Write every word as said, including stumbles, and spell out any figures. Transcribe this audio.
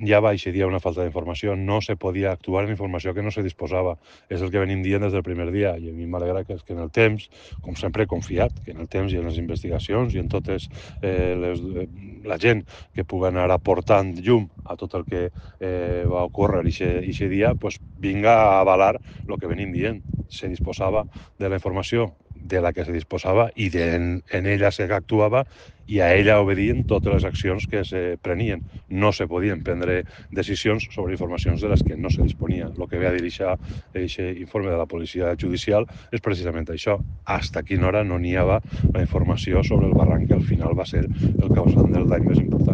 ja va eixe una falta d'informació, no se podia actuar en informació que no se disposava. És el que venim dient des del primer dia, i a mi m'alegra que, que en el temps, com sempre he confiat, que en el temps i en les investigacions i en totes eh, les, eh, la gent que pugui anar aportant llum a tot el que eh, va ocórrer eixe dia, pues, vinga a avalar el que venim dient. Se disposava de la informació de la que se disposava i de, en, en ella se actuava i a ella obedien totes les accions que se prenien. No se podien prendre decisions sobre informacions de les que no se disponia. El que ve a dir aquest informe de la policia judicial és precisament això. Hasta quina hora no n'hi havia la informació sobre el barranc que al final va ser el causant del dany més important.